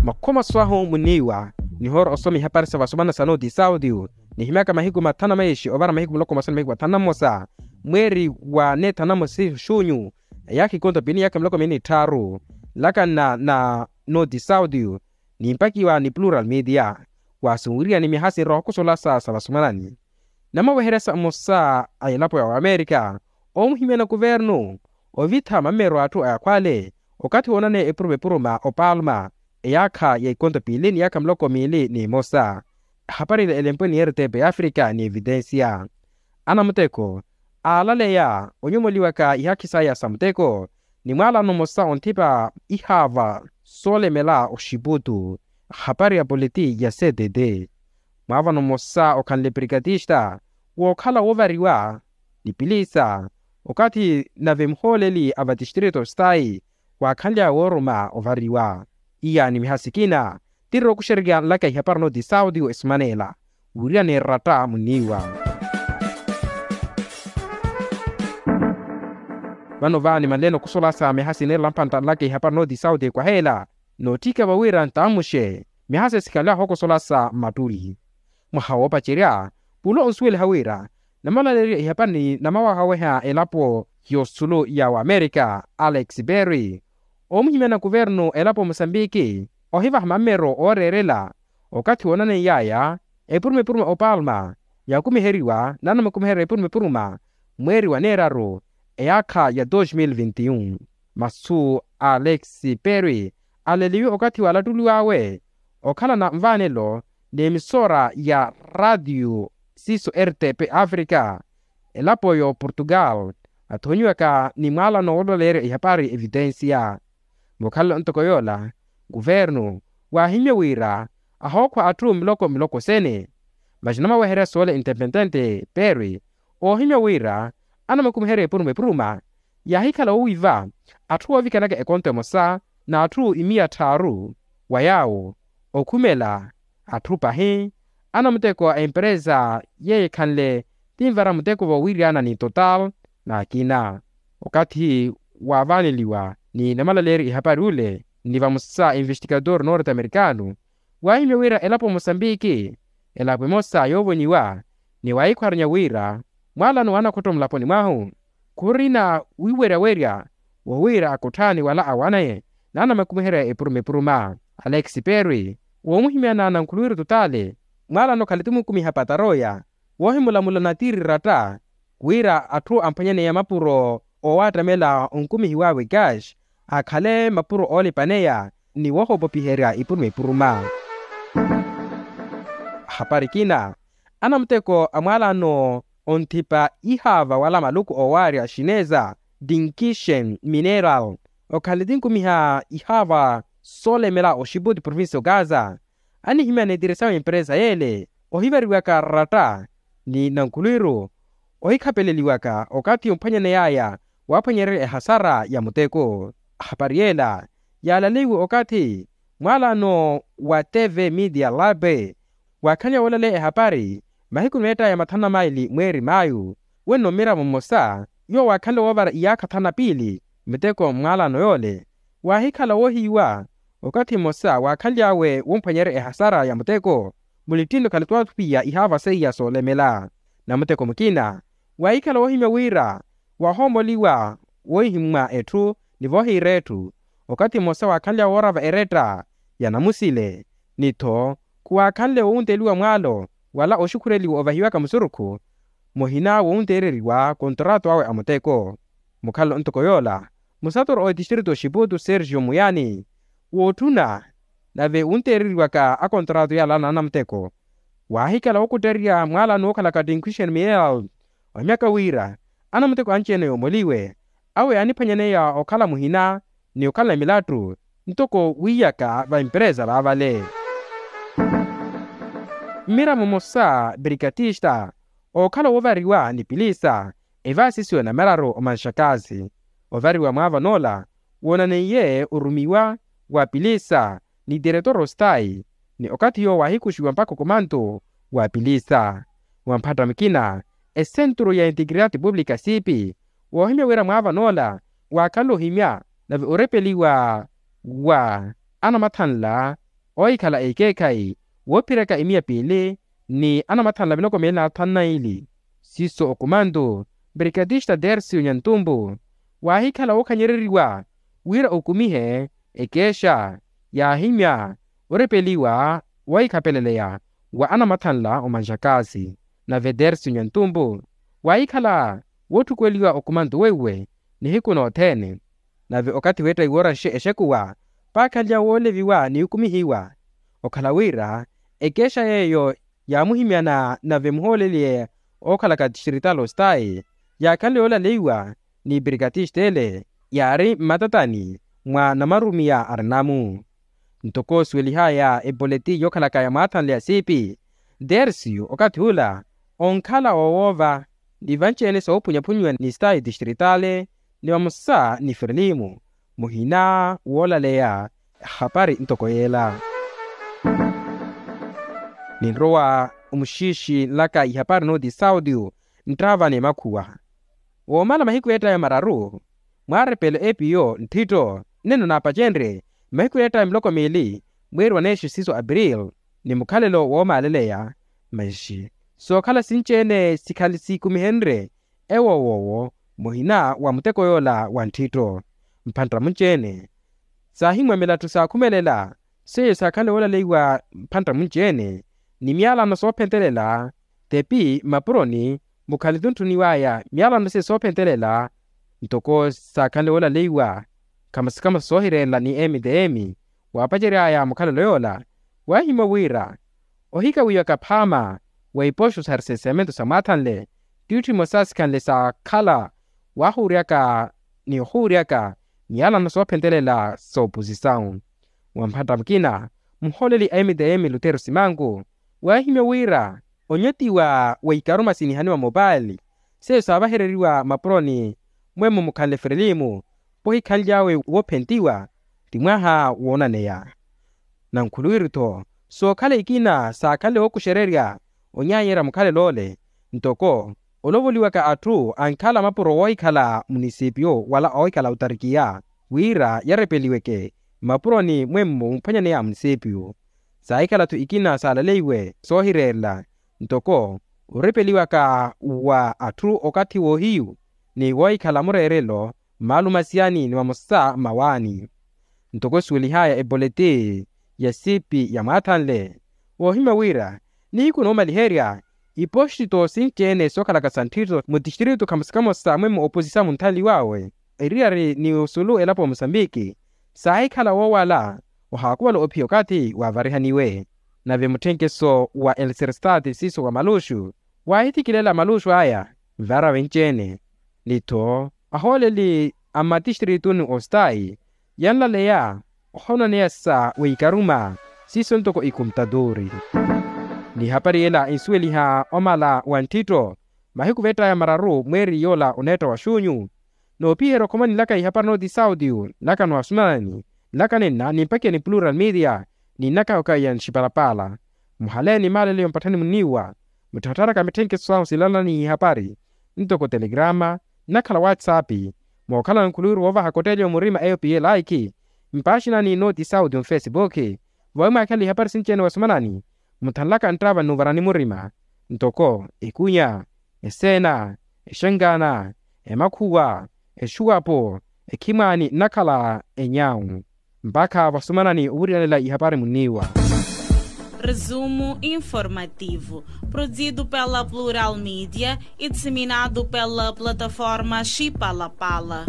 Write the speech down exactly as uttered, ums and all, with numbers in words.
Makhomaso ahu muniiwa nihoora osoma ihapari sa vasomana sa noti saudio nihimyaka mahiku mathanu na maixi ovara mahiku muloko mmosa ni mahiku mathanu na mmosa mweeri wa neethanu na mmosa xunyu. Eyaakha ikonto piili ni yaakha miloko miili ni tthaaru nlakanna na noti saudio nimpakiwa ni plural media. Waasunwiriyani myaha sinrowa okosolasa sa vasomanani namaweherya sa mmosa a elapo ya wamerika omuhimyana kuvernu ovitha mammero a atthu a yakhwale okathi woonaneya epuruma epuruma opalma eyaakha ya ikonto piili ni yaakha miloko miili ni mmosa. Ehapari ila elempwe ni rtp africa ni evitensia anamuteko aalaleya onyomoliwaka ihaakhi saya sa muteko ni mwaalano mmosa onthipa ihaava soolemela oxiputu. Ehapari ya politi ya ctt mwaavano mmosa okhanle prikatista wookhala woovariwa ni pilisa okathi nave muhooleli a vatistrito stayi waakhanly'awe wooruma ovariwa. Iya ni miha sikina tiri okuxererya nlaka ihapari noti saudio esimanela wiriya ni ratta muniiwa. Vano vaani manleene okusolasa miha sineela mpantta nlaka ihapari noti saudio ekwaheela nootthika vawiira ntamuxe miha sesikhanly'ahu okusolasa mmattuli mwaha woopacerya pula onsuweliha wira namalaleerya ihapari ni namawahaweha elapo y'osulu ya wamerika alex perry omuhimyana kuvernu elapo mosambiki ohivaha mammero ooreerela okathi woonaneiy'aya epuruma epuruma opalma yakumiheriwa nanamukumiherya epuruma epuruma mweeri wa neeraru eyaakha ya dos mil vinti un. Masu a alex perry aleliwe okathi waalattuliw'awe okhalana nvaanelo n'emisora ya ratiyo siiso rtp africa elapo y'oportugal athonyiwaka ni mwaalano woolaleerya ihapari evitensia. Mukhalelo ntoko yoola kuvernu waahimya wira ahookhwa atthu miloko miloko sene. Masi namaweherya soola intepentente perry oohimya wira anamakumiherya epuruma epuruma yaahikhala woowiiva atthu woovikanaka ekonto emosa n'atthu imiya tthaaru wa yaawo okhumela atthu pahi anamuteko a empresa yeeyo ekhanle tinvara muteko voowiryana ni total n'akina. Okathi waavaaneliwa ni namalaleeryo ihapari ule ni vamosa investigador norte americano waahimya wira elapo mosambiki elapo emosa yoovonyiwa ni waahikhwaranya wira mwaalano waanakhotto mulaponi mwahu khurina wiweryawerya wowiira akotthani wala awaneye naanamakumiherya epuruma epuruma. Alex perry woomuhimyana na nkhuluwiru totale mwaalano khalitumukumiha pataroya woohimulamula na tiri ratta wira atthu amphwanyaneya mapuro oowattamela onkumihiw'awe cash akhale mapuro oolipaneya ni woohopopiherya ipuruma ipuruma. Ahapari kina anamuteko a mwaalano onthipa ihaava wala maluku oowaarya xineza dinkishen mineral okhanle tinkumiha ihaava soolemela oxiputi provincia ogaza anihimyana etiresawe empresa yeele ohivariwaka ratta ni nankhulwiru ohikhapeleliwaka okathi omphwanyaney'aya waaphwanyererya ehasara ya muteko. Ahapari yeela yaalaleiwe okathi mwaalano wa tv media lab waakhanlya woolaleya ehapari mahiku meett'aya mathanu na maili mweeri mayu wenno mmiramo mmosa yoowo waakhanle woovara iyaakha thanu na piili muteko mmwaalano yoole waahikhala woohiiwa okathi mmosa waakhanly'awe womphwanyerya ehasara ya muteko mulittinno khalituwathupiya ihaava seiya soolemela. Namuteko mukina waahikhala woohimya wira waahoomoliwa wohihimmwa etthu ni voohiira etthu okathi mmosa waakhanly'awe woorava eretta ya namusile ni-tho khuwaakhanle wowunteliwa mwaalo wala oxukhureliwa ovahiwaka musurukhu muhina wowunteereriwa kontrato awe a muteko. Mukhalelo ntoko yoola musatoro otistrito xiputu sergio muyani wootthuna nave wunteereriwaka akontrato yaala naanamuteko waahikhala wookuttererya mwaalano wookhalaka tinkhwixeni mineral ohimyaka wira anamuteko anci-ene yoomoliwe awe yaaniphwanyaneya okhala muhina ni okhala milattu ntoko wiiyaka va empresa vaavale. Mmiramo mmosa brikatista ookhala woovariwa ni pilisa evaasisiwa namararu omanxakazi ovariwa mwaava noola woonaneiye orumiwa wa pilisa ni tiretoro stayi ni okathi yoowo waahikuxiwa mpakha okomanto wa pilisa wa mphatta mukina esenturu ya integridade publica siipi woohimya wira mwaava noola waakhanle ohimya nave orepeliwa wa anamathanla oohikhala ekeekhayi woophiraka imiya piili ni anamathanla miloko miili na thanu na ili. Siiso okumantu brikatista dersiyo nyantumpu waahikhala wookhanyereriwa wira okumihe ekeexa yaahimya orepeliwa woohikhapeleleya wa anamathanla omanxakaasi. Nave dersiyo nyantumpu waahikhala wootthukuweliwa okumantu weiwe nihiku nothene. Nave okathi weetta iwooraxe exekuwa paakhanlya wooleviwa ni okumihiwa okhala wira ekeexa yeeyo yaamuhimyana nave muhooleliye ookhalaka tixtritali ostayi yaakhanle yoolaleiwa ni brikatista ele yaari mmatatani mwa namarumiya arinamu. Ntoko osuwelihaya epoleti yookhalaka ya mwaathanle ya siipi dersiyo okathi ula onkhala oowoova ni vanci-ene soophunyaphunyiwa ni stayi tixtritali ni vamosa ni frilimu muhina woolaleya ehapari ntoko yeela. Ninrowa omuxiixi nlaka ihapari nooti saudio nttaava ni emakhuwa woomala mahiku eettaya mararu mwaarepelo epiyo ntthitto nneno naapacenrye mahiku eettaya miloko miili mweeri wa neexi siiso april ni mukhalelo woomaaleleya. Masi sookhala sinci-ene sikhali siikumihenrye ewo woowo muhina wa muteko yoola wa ntthitto mphantta munci-ene saahimwamela atthu saakhumelela seiyo saakhanle woolaleiwa mphantta munci-ene ni myalano soophentelela tepi mmapuroni mukhalittunttuniwaya myalano seiyo soophentelela ntoko saakhanle woolaleiwa khamosa khamosa soohireerela ni emiteemi waapaceryaya mukhalelo yoola waahimya wira ohikawiwaka phaama wa ipoxo sa risensementu sa mwaathanle ttiitthu imosa sikhanle saakhala waahuuryaka ni ohuuryaka myalano soophentelela sooposisawu. Wa mphantta mukina muhooleli a mtm lutero simanku waahimya wira onyotiwa wa ikaruma sinihaniwa mopaali seiyo saavahereriwa mapuroni mwemmo mukhanle frilimu poohikhanly'awe woophentiwa ti mwaha woonaneya. Nankhuluwiru-tho sookhala ikina saakhanle wookuxererya onyaanyerya mukhalel'ole ntoko olovoliwaka atthu ankhala mapuro woohikhala munisipiyo wala oohikhala otarikiya wira yarepeliweke mmapuroni mwemmo muphwanyaneya munisipiyo saahikhala-tho ikina saalaleiwe soohireerela ntoko orepeliwaka wa atthu okathi woohiyu ni woohikhala mureerelo mmaalumasiyani ni mamosa mmawaani. Ntoko esuwelihaya epoleti ya siipi ya mwaathanle woohimya wira nihiku noomaliherya ipoxito sinci-ene sookhalaka sa ntthitto mutixtiritu khamosa khamosa mwemmo oposisa munthanliw'awe eriyari ni osulu elapo wa musambiki saahikhala woowala ohaakuvala ophiya okathi waavarihaniwe. Nave mutthenkeso wa elserstati siiso wa maluxu waahithikilela maluxu aya nvaara venci-ene ni-tho ahooleli a mmatixtrituni ostayi yanlaleya ohonaneya sa weikaruma siiso ntoko ikumputatuuri. Ni ehapari ela ensuweliha omala wa nttitto mahiku veett'aya mararu mweeri yoola oneetta wa xuunyu. Noopiherya okhomani nlaka ihapari nooti saudio nlaka n'owasunanani nlaka nenna nimpakiya ni plural media ni nnaka okhaiya nxipalapala muhaleeni maaleleyo mpatthani munniiwa muttharatharaka mitthenkeso sahu silalani ihapari ntoko telegrama nnakhala whatsapp mookhala nkhuluwiru woovaha kotteeliyo murima eyo piye laikhi mpaaxinani nooti saudio nfesipuukhi vawi mwaakhala ihapari sinci-ene wasumanani mutthanlaka nttaava nnuvarani murima ntoko ekunya eseena exankaana emakhuwa exuwapo ekhimwaani nnakhala enyawu mpakha vasumanani ovuriyanela ihapari munniiwa. Resumo informativo, produzido pela Plural Mídia e disseminado pela plataforma Xipalapala.